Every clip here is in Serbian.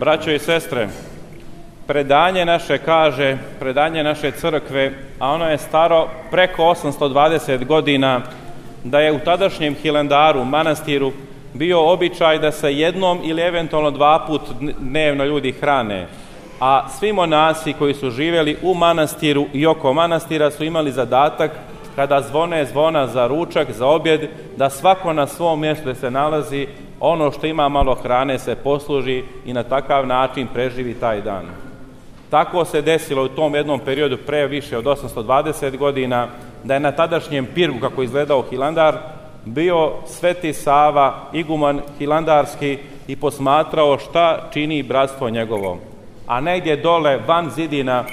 Braćo i sestre, predanje naše crkve, a ono je staro preko 820 godina, da je u tadašnjem Hilandaru, manastiru, bio običaj da se jednom ili eventualno 2 puta dnevno ljudi hrane, a svi monasi koji su živjeli u manastiru i oko manastira su imali zadatak, kada zvone zvona za ručak, za objed, da svako na svom mjestu gdje se nalazi, ono što ima malo hrane se posluži i na takav način preživi taj dan. Tako se desilo u tom jednom periodu pre više od 820 godina, da je na tadašnjem pirgu, kako izgledao Hilandar, bio Sveti Sava, iguman hilandarski, i posmatrao šta čini bratstvo njegovo. A negdje dole, van zidina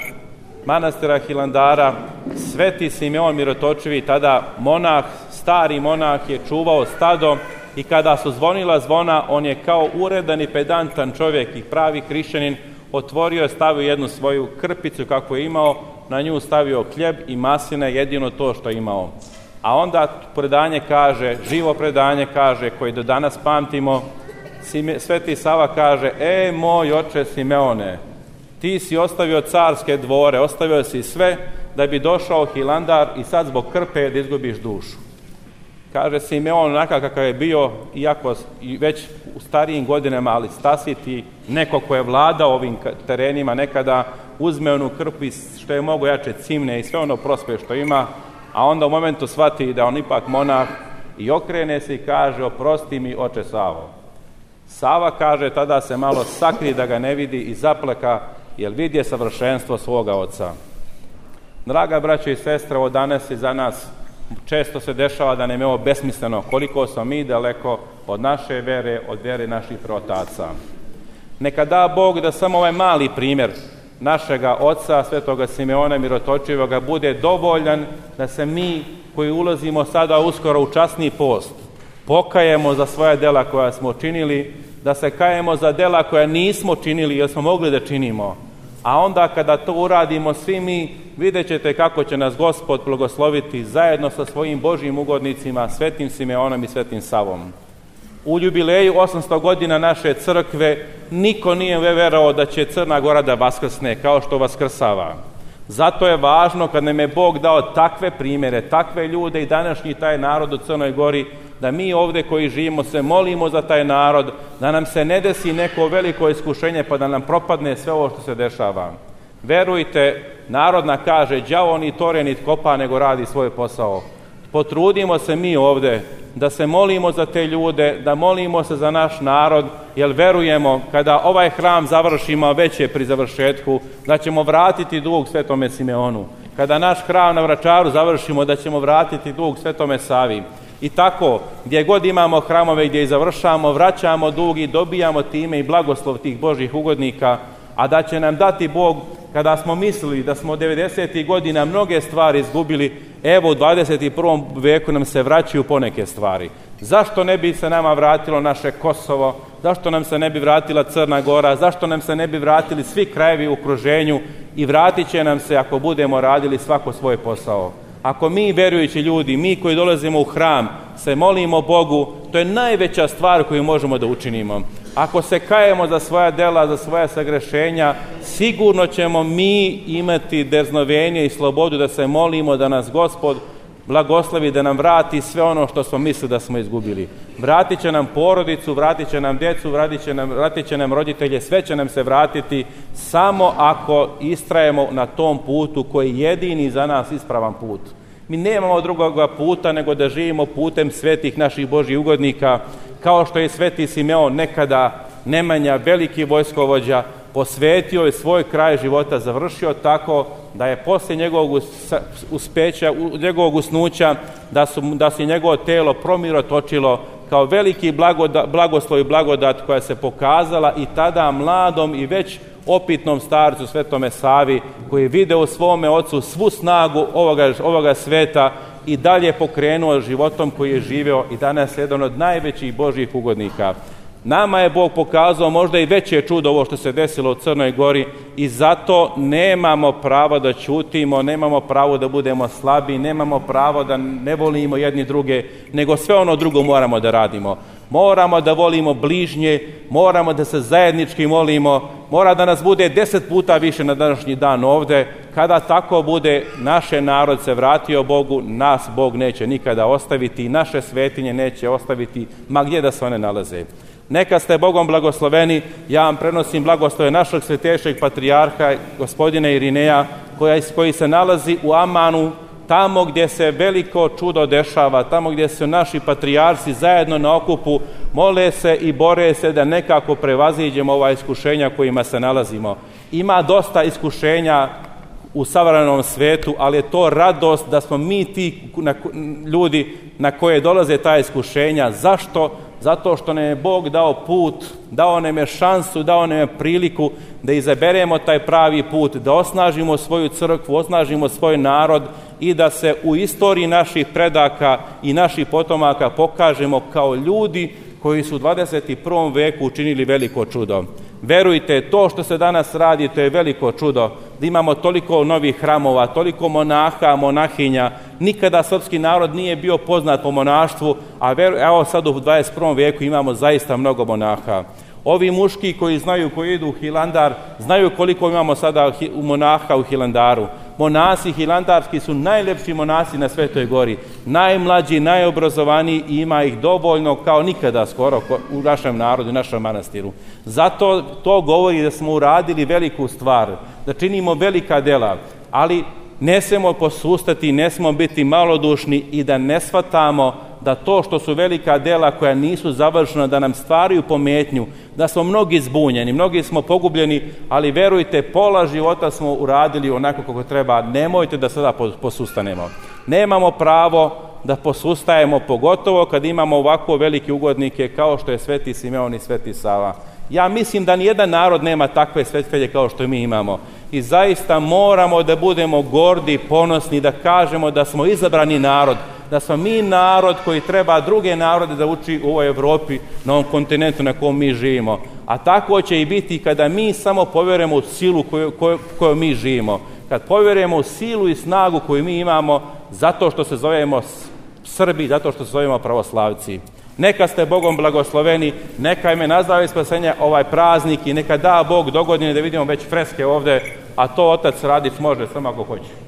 manastira Hilandara, Sveti Simeon Mirotočivi, tada monah, stari monah, je čuvao stado, i kada su zvonila zvona, on je kao uredan i pedantan čovjek i pravi hrišćanin otvorio je, stavio jednu svoju krpicu kako je imao, na nju stavio hljeb i masline, jedino to što je imao. A onda predanje kaže, živo predanje kaže, koji do danas pamtimo, Sveti Sava kaže: moj oče Simeone, ti si ostavio carske dvore, ostavio si sve da bi došao Hilandar i sad zbog krpe da izgubiš dušu. Kaže Simeon, onakav kakav je bio, iako već u starijim godinama, ali stasiti, neko ko je vladao ovim terenima nekada, uzme onu krpu i što je mogo jače cimne i sve ono prospe što ima, a onda u momentu shvati da on ipak monah i okrene se i kaže: oprosti mi, oče Savo. Sava, kaže, tada se malo sakri da ga ne vidi i zaplaka, jer vidje savršenstvo svoga oca. Draga braćo i sestre, ovo danas je za nas često se dešava da nam je ovo besmisleno, koliko smo mi daleko od naše vere, od vere naših praotaca. Neka da Bog da samo ovaj mali primjer našega oca, Svetoga Simeona Mirotočivoga, bude dovoljan da se mi, koji ulazimo sada uskoro u časni post, pokajemo za svoja dela koja smo činili, da se kajemo za dela koja nismo činili jer smo mogli da činimo. A onda kada to uradimo svi mi, vidjet ćete kako će nas Gospod blagosloviti zajedno sa svojim Božjim ugodnicima, Svetim Simeonom i Svetim Savom. U jubileju 800 godina naše crkve niko nije verovao da će Crna Gora da vaskrsne kao što vaskrsava. Zato je važno, kad nam je Bog dao takve primjere, takve ljude i današnji taj narod u Crnoj Gori, da mi ovdje koji živimo se molimo za taj narod, da nam se ne desi neko veliko iskušenje pa da nam propadne sve ovo što se dešava. Verujte, narodna kaže: đavo ni tore nit kopa, nego radi svoj posao. Potrudimo se mi ovdje da se molimo za te ljude, da molimo se za naš narod, jer verujemo kada ovaj hram završimo, već je pri završetku, da ćemo vratiti dug Svetome Simeonu. Kada naš hram na Vračaru završimo, da ćemo vratiti dug Svetome Savi. I tako, gdje god imamo hramove, gdje i završamo, vraćamo dug i dobijamo time i blagoslov tih Božjih ugodnika, a da će nam dati Bog, kada smo mislili da smo 90. godina mnoge stvari izgubili, evo u 21. veku nam se vraćaju poneke stvari. Zašto ne bi se nama vratilo naše Kosovo? Zašto nam se ne bi vratila Crna Gora? Zašto nam se ne bi vratili svi krajevi u okruženju? I vratit će nam se ako budemo radili svako svoj posao. Ako mi, verujući ljudi, mi koji dolazimo u hram, se molimo Bogu, to je najveća stvar koju možemo da učinimo. Ako se kajemo za svoja dela, za svoja sagrešenja, sigurno ćemo mi imati drznovenje i slobodu da se molimo da nas Gospod blagoslovi, da nam vrati sve ono što smo mislili da smo izgubili. Vratit će nam porodicu, vratit će nam djecu, vratit će nam roditelje, sve će nam se vratiti samo ako istrajemo na tom putu koji je jedini za nas ispravan put. Mi nemamo drugoga puta nego da živimo putem svetih naših Božjih ugodnika, kao što je Sveti Simeon nekada, Nemanja, veliki vojskovođa, posvetio je svoj kraj života, završio tako da je poslije njegovog uspeća, njegovog usnuća, da se njegovo telo promirotočilo kao veliki blagoslov i blagodat koja se pokazala i tada mladom i već opitnom starcu Svetome Savi, koji je video u svome ocu svu snagu ovoga sveta i dalje pokrenuo životom koji je živeo i danas je jedan od najvećih Božjih ugodnika. Nama je Bog pokazao možda i veće čudo ovo što se desilo u Crnoj Gori i zato nemamo pravo da ćutimo, nemamo pravo da budemo slabi, nemamo pravo da ne volimo jedni druge, nego sve ono drugo moramo da radimo. Moramo da volimo bližnje, moramo da se zajednički molimo, mora da nas bude 10 puta više na današnji dan ovde. Kada tako bude, naš narod se vratio Bogu, nas Bog neće nikada ostaviti i naše svetinje neće ostaviti, ma gdje da se one nalaze. Neka ste Bogom blagosloveni, ja vam prenosim blagoslove našeg svetejšeg patrijarha, gospodina Irineja, koji se nalazi u Amanu, tamo gdje se veliko čudo dešava, tamo gdje su naši patrijarsi zajedno na okupu, mole se i bore se da nekako prevaziđemo ova iskušenja kojima se nalazimo. Ima dosta iskušenja u savremenom svetu, ali je to radost da smo mi ti ljudi na koje dolaze ta iskušenja. Zašto? Zato što nam je Bog dao put, dao nam je šansu, dao nam je priliku da izaberemo taj pravi put, da osnažimo svoju crkvu, osnažimo svoj narod i da se u istoriji naših predaka i naših potomaka pokažemo kao ljudi koji su u 21. veku učinili veliko čudo. Verujte, to što se danas radi, to je veliko čudo. Da imamo toliko novih hramova, toliko monaha, monahinja. Nikada srpski narod nije bio poznat po monaštvu, a evo sad u 21. veku imamo zaista mnogo monaha. Ovi muški koji znaju, koji idu u Hilandar, znaju koliko imamo sada monaha u Hilandaru. Monasi hilandarski su najlepši monasi na Svetoj Gori. Najmlađi, najobrazovaniji i ima ih dovoljno kao nikada skoro u našem narodu i našem manastiru. Zato to govori da smo uradili veliku stvar, da činimo velika dela, ali ne smemo posustati, ne smemo biti malodušni i da ne shvatamo da to što su velika dela koja nisu završena, da nam stvaraju pometnju, da smo mnogi zbunjeni, mnogi smo pogubljeni, ali verujte, pola života smo uradili onako kako treba. Nemojte da sada posustanemo. Nemamo pravo da posustajemo, pogotovo kad imamo ovako velike ugodnike kao što je Sveti Simeon i Sveti Sava. Ja mislim da nijedan narod nema takve svetitelje kao što mi imamo. I zaista moramo da budemo gordi i ponosni, da kažemo da smo izabrani narod, da smo mi narod koji treba druge narode da uči u ovoj Evropi, na ovom kontinentu na kojem mi živimo. A tako će i biti kada mi samo povjerujemo u silu koju mi živimo. Kad povjerujemo u silu i snagu koju mi imamo, zato što se zovemo Srbi, zato što se zovemo pravoslavci. Neka ste Bogom blagosloveni, neka ime na zdravlje i spasenja ovaj praznik i neka da Bog dogodine da vidimo već freske ovde, a to Otac Radić može samo ako hoće.